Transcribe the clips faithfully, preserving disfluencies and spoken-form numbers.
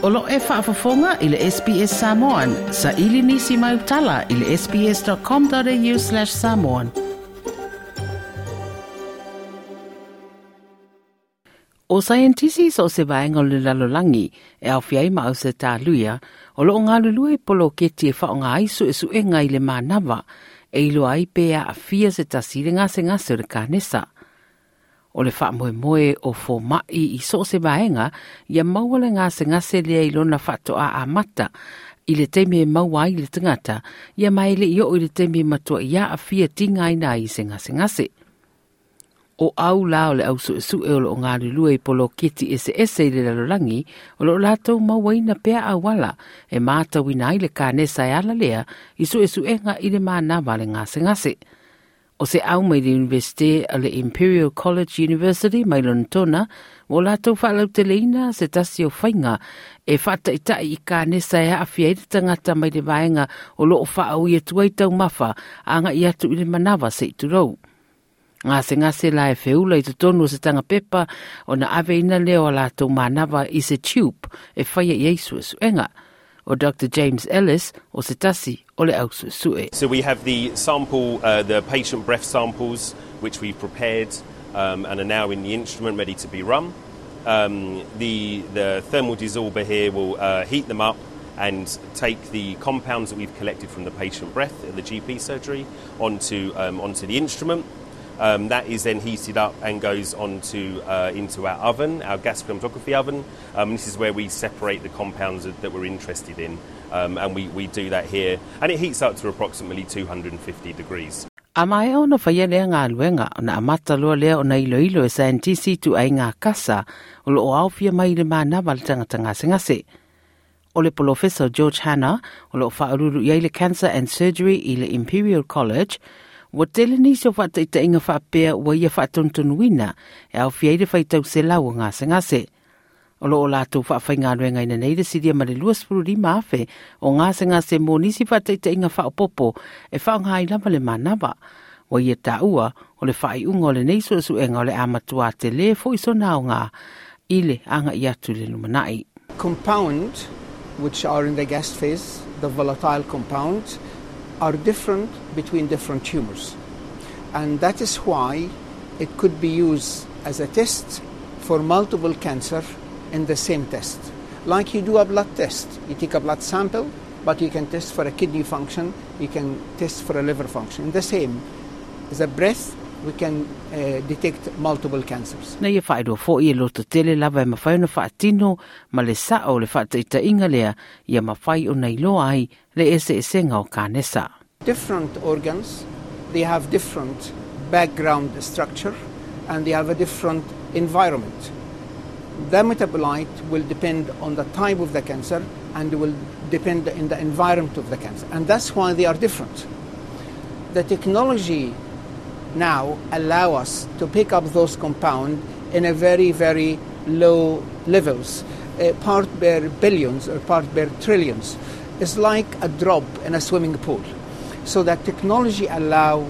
O lo e faafofoga i le S B S Samoan, sa ili nisi mai utala i le S B S dot com dot A U slash samoan. O saientisi so se vaenga o le lalolagi e aofia ai ma Ausetalia o lo o galulue i poloketi e faaaoga ai suesuega i le manava e iloa ai pe aafia se tasi i le gasegase o le kanesa. O le faamoemoe o fomaʻi i so o se vaega ia maua le gasegase lea i lona faatoa amata i le taimi e maua ai le tagata ia ma e leʻi oo i le taimi e matuaʻi aafia tigaina ai i se gasegase. O au la o le au suesue o lo o galulue i poloketi eseese i le lalolagi o lo o latou mauaina pea auala e matauina ai le kanesa e ala lea i suesuega i le manava le gasegase. O se au mai le Universite o le Imperial College University mai Lonetona ua latou faalauteleina se tasi o faiga e faataʻitaʻi i kanesa e aafia ai le tagata mai le vaega o lo o faaui atu ai taumafa agaʻi atu i le manava seʻi tulou. Gasegase la e feula i totonu o se taga pepa ona aveina lea o latou manava i se tube e faia i ai suesuega. O Doctor James Ellis o se tasi o le au suesue. So we have the sample, uh, the patient breath samples, which we've prepared um, and are now in the instrument ready to be run. Um, the, the thermal desorber here will uh, heat them up and take the compounds that we've collected from the patient breath at the G P surgery onto, um, onto the instrument. Um, that is then heated up and goes onto uh, into our oven, our gas chromatography oven. Um, this is where we separate the compounds that, that we're interested in, um, and we, we do that here. And it heats up to approximately two hundred fifty degrees. A maea ona faia lea galuega ona amata loa lea ona iloilo e saienitisi ituaiga kasa o lo o aofia mai i le manava le tagata gasegase. O le Polofesa George Hanna o lo o faauluulu i ai le Cancer and Surgery i le Imperial College ua tele nisi o faataʻitaʻiga faapea ua ia faatonutonuina e aofia ai le faitau selau o gasegase. O lo o latou faafaigaluegaina nei le silia ma le luasefulu lima afe o gasegase mo nisi faataʻitaʻiga faaopopo e faaaoga ai lava le manava. Ua ia taua o le faaiuga o lenei suesuega o le a matuā telē foʻi sona aoga i le agaʻi atu i le lumanaʻi. Compound which are in the gas phase, the volatile compounds, are different between different tumors. And that is why it could be used as a test for multiple cancer in the same test. Like you do a blood test. You take a blood sample, but you can test for a kidney function, you can test for a liver function. The same, the breath, we can uh, detect multiple cancers. Na ia faailoa foʻi e loto tele lava e mafai ona faatino ma le saʻo o le faataʻitaʻiga lea ia mafai ona iloa ai le eseesega o kanesa. Different organs, they have different background structure and they have a different environment. The metabolite will depend on the type of the cancer and will depend in the environment of the cancer. And that's why they are different. The technology now allow us to pick up those compounds in a very, very low levels, uh, part per billions or part per trillions. It's like a drop in a swimming pool. So that technology allow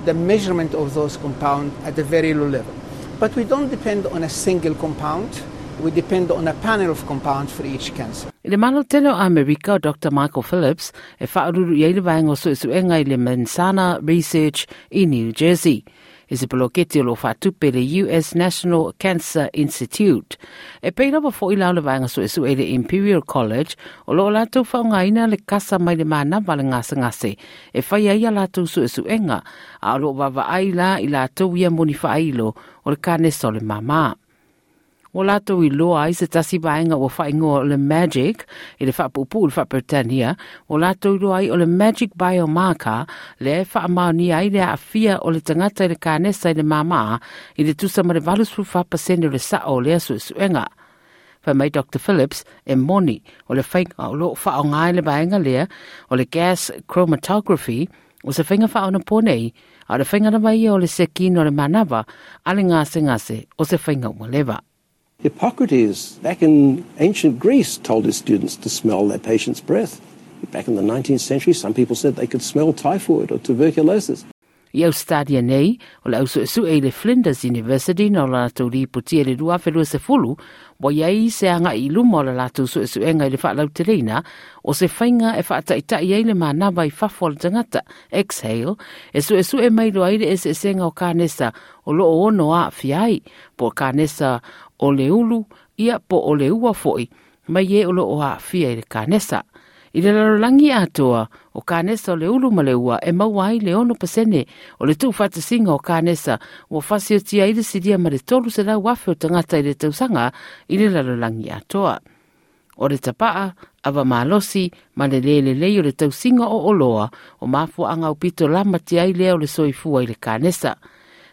the measurement of those compounds at a very low level. But we don't depend on a single compound. We depend on a panel of compounds for each cancer. I le Malo tele o Amerika o Doctor Michael Phillips e faauluulu i ai le vaega o suesuega i le Menssana Research i New Jersey. I se poloketi o lo faatupe le U S National Cancer Institute. E pei lava foʻi la o le vaega suesue i le Imperial College o lo o latou faaaogaina le kasa mai le manava le gasegase e fai ai a latou suesuega a o lo o vaavaai la i latou ia moni faailo o le kanesa o le māmā. Ua latou iloa ai se tasi vaega ua faaigoa o le MAGIC i le faapuupuu le faaperetania, ua latou iloa ai o le MAGIC biomarker lea e faamaonia ai le aafia o le tagata i le kanesa i le māmā i le tusa ma le valusefulu fa pasene o le saʻo o lea suesuega. Fai mai Doctor Phillips e moni o le faiga o lo o faaaoga ai le vaega lea o le gas chromatography o se faiga faaonapo nei a o le faiga lava ia o le sekino o le manava a le gasegase o se faiga ua leva. Hippocrates, back in ancient Greece, told his students to smell their patient's breath. Back in the nineteenth century, some people said they could smell typhoid or tuberculosis. I Australia nei, o le ausuesue i le Flinders University na o la latou lipotia i le lua afe luasefulu, ua i ai se agai i luma o le latou suesuega i le faalauteleina o se faiga e faataitai ai le manava i fafo o le tagata, exhale, e suesue mai loa ai le eseesega o kanesa o loo ono aafia ai, po o kanesa o le ulu, ia po o le ua foi, mai e o loo aafia i le kanesa. I le lalolagi atoa, o kanesa o le ulu ma le ua e maua ai le ono pasene o le tuufaatasiga o kanesa ua fasiotia ai le silia ma le tolu selau afe o tagata i le tausaga i le lalolagi atoa. O le tapaa, ava malosi, ma le lē lelei o le tausiga o oloa o mafuaaga aupito lamatia ai lea o le soifua i le kanesa.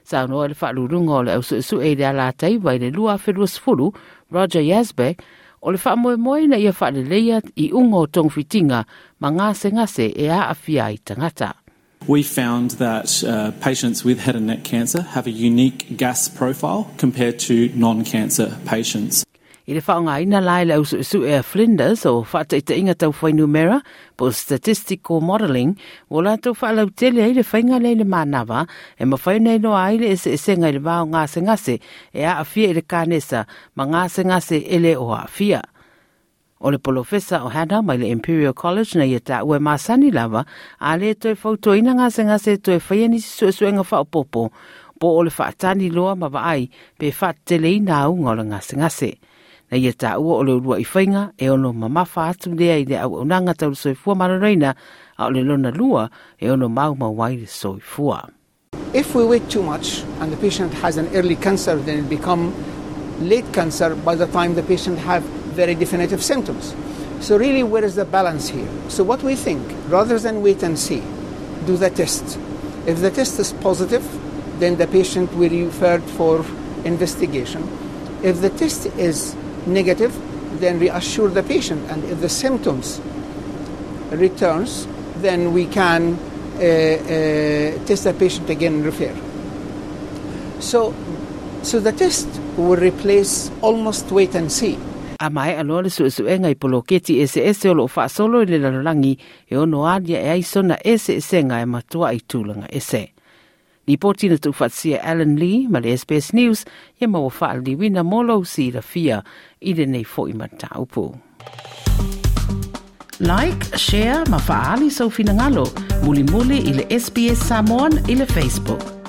Saunoa le faaluluga o le ausuesue i le alataiva i le lua afe luasefulu, Roger Yazbeck, o le faamoemoe ina ia faaleleia iuga o togafitiga ma gasegase e aafia ai tagata. We found that uh, patients with head and neck cancer have a unique gas profile compared to non-cancer patients. I le faaaogaina la e le ausuesue a Flinders o faataitaiga tau fuainumera po statistical modelling ua latou faalautele ai le faiga lea i le manava e mafai ona iloa ai le eseesega i le va o gasegase e aafia i le kanesa ma gasegase e le o aafia. O le polofesa o Hannah mai le Imperial College na ia taua e masani lava a le toe fautuaina gasegase e toe faia nisi suesuega faaopoopo po o le faatani loa ma vaai pe faateteleina auga o le gasegase. Na ia taua o le uluai faiga e ono mamafa atu lea i le auaunaga tau le soifua maloloina a o le lona lua e ono maumau ai le soifua. If we wait too much and the patient has an early cancer, then it become late cancer by the time the patient have very definitive symptoms. So really, where is the balance here? So what we think, rather than wait and see, do the test. If the test is positive, then the patient will be referred for investigation. If the test is negative, then reassure the patient, and if the symptoms returns, then we can uh, uh, test the patient again and refer. So, so the test will replace almost wait and see. A maea loa le suesuega i poloketi eseese o loo faasolo i le lalolagi e ono alia e ai sona eseesega e matua i tulaga ese. Lipoti na tuufaatasia Alan Lee ma le S B S News ia maua faaliliuina mo lou silafia i lenei foi mataupu. Like, share ma faaali sou finagalo mulimuli i le S B S Samoan i le Facebook.